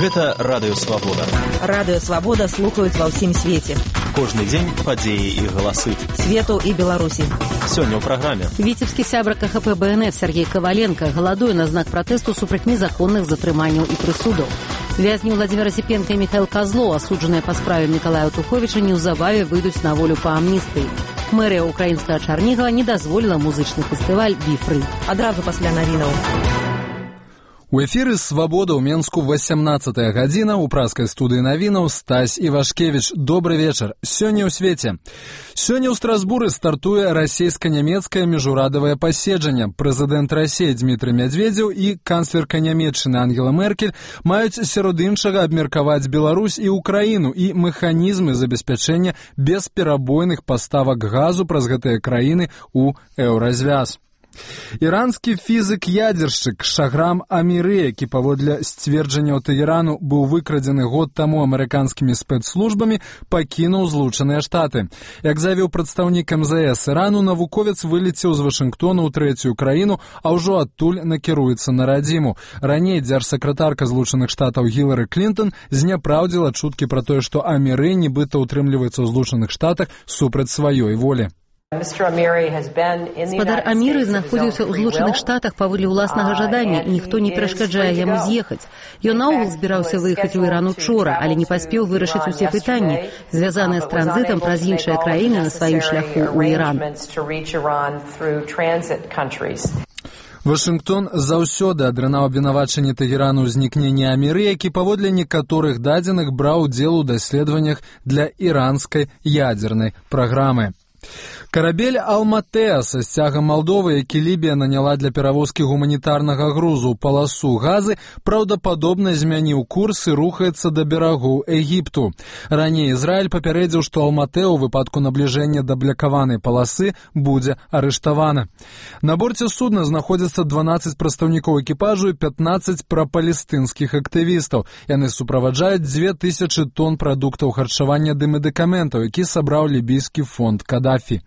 Гэта Радыё Свабода. Радыё Свабода слухаюць ва ўсім свеце. Кожны дзень падзеі і галасы. Свету і Беларусі. Сёння ў праграме. Віцебскі сябра КХП БНФ Сергей Коваленко галадуе на знак пратэсту супраць незаконных затрыманняў і прысудаў. Вязні Владимир Осипенко и Михаил Козлов, осудженные по справе Миколая Туховича, неўзабаве выйдуць на волю по амністыі. Мэрыя украінскага Чарнігава не дазволіла музычны фестываль «Біфры». Адразу пасля навінаў. У эфіры «Свабода» ў Менску 18-я гадзіна. У праскай студыі навінаў Стась Івашкевіч. Добры вечар. Сёння ў свеце. Сёння ў Страсбуры стартуе расійска-нямецкае міжурадавае паседжанне. Прэзідэнт Расіі Дмітрый Мядзведзеў і канцлерка Нямецчыны Ангела Меркель маюць сярод іншага абмеркаваць Беларусь і Украіну і механізмы забеспячэння бесперабойных паставак газу праз гэтыя краіны ў еўразвяз. Іранскі фізык-ядзершчык Шахрам Аміры, які паводле сцверджанняў Тэ헤рану быў выкрадзены год таму амерыканскімі спецслужбамі, пакінуў Злучаныя Штаты. Як заявіў прадстаўнік МЗС Ірану, навуковец вылецеў з Вашынгтона ў трэцюю краіну, а ўжо адтуль накіруецца на радзіму. Раней дзяржсакратарка Злучаных Штатаў Гілары Клінтон зняпраўдзіла чуткі пра тое, што Аміры нібыта ўтрымліваецца ў Злучаных Штатах супраць сваёй волі. Гаспадар Аміры знаходзіўся ў Злучаных Штатах паводле ўласнага жадання, і ніхто не перашкаджае яму з'ехаць. Ён наогул збіраўся выехаць у Іран учора, але не паспеў вырашыць усе пытанні, звязаныя з транзітам праз іншыя краіны на сваім шляху ў Іран. Вашынгтон заўсёды адрынаў абвінавачанне Тэ헤рану ў знікненні Аміры, які паводле некаторых дадзеных браў удзел у даследаваннях для іранскай ядзернай праграмы. Карабель «Алматеа» са сцягам Малдовы, які Лібія наняла для перавозкі гуманітарнага грузу ў паласу газы, праўдападобна змяніў курс і рухаецца да берагоў Егіпту. Раней Ізраіль папярэдзіў, што «Алматеа» у выпадку набліжэння да блякаванай паласы будзе арыштавана. На борце судна знаходзяцца 12 прадстаўнікоў экіпажу і 15 прапалестынскіх актывістаў. Яны суправаджаюць 2000 тонн прадуктаў харчавання ды медыкаментаў, які сабраў лібійскі фонд Кадафі.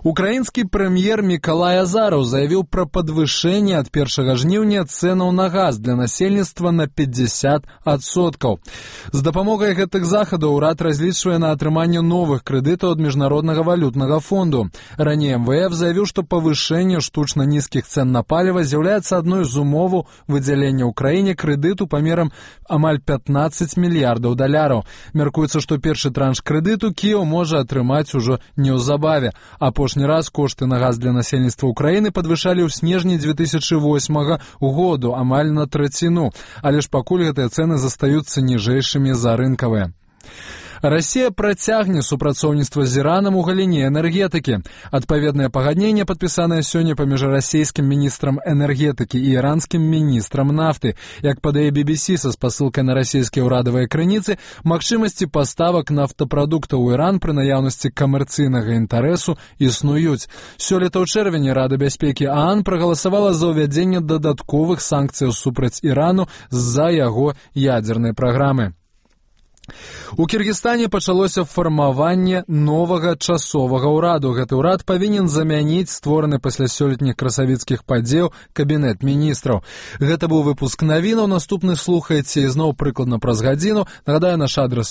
Украінскі прэм'ер Мікалай Азараў заявіў пра падвышэнне ад 1 жніўня цэнаў на газ для насельніцтва на 50%. З дапамогай гэтых захадаў урад разлічвае на атрыманне новых крэдытаў ад Міжнароднага валютнага фонду. Раней МВФ заявіў, што павышэнне штучна нізкіх цэн на паліва з'яўляецца адной з умоваў выдзялення ўкраіне крэдыту памерам амаль 15 мільярдаў даляраў. Мяркуецца, што першы транш крэдыту Кіеў можа атрымаць ужо неўзабаве. Апошні раз кошты на газ для насельніцтва Украіны падвышалі ў снежні 2008 году амаль на траціну, але ж пакуль гэтыя цэны застаюцца ніжэйшымі за рынкавыя. Расія працягне супрацоўніцтва з Іранам у галіне энергетыкі. Адпаведнае пагадненне падпісанае сёння паміж расійскім міністрам энергетыкі і іранскім міністрам нафты. Як падае BBC са спасылкай на расійскія ўрадавыя крыніцы, магчымасці паставак нафтапрадуктаў у Іран пры наяўнасці камерцыйнага інтарэсу існуюць. Сёлета ў чэрвені Рада бяспекі ААН прагаласавала за ўвядзенне дадатковых санкцыяў супраць Ірану з-за яго ядзернай праграмы. У Кіргізстане пачалося фармаванне новага часовага ўраду. Гэты ўрад павінен замяніць створаны пасля сёлетніх красавіцкіх падзеяў кабінет міністраў. Гэта быў выпуск навінаў. Наступны слухаеце ізноў прыкладна праз гадзіну. Нагадаю, наш адрас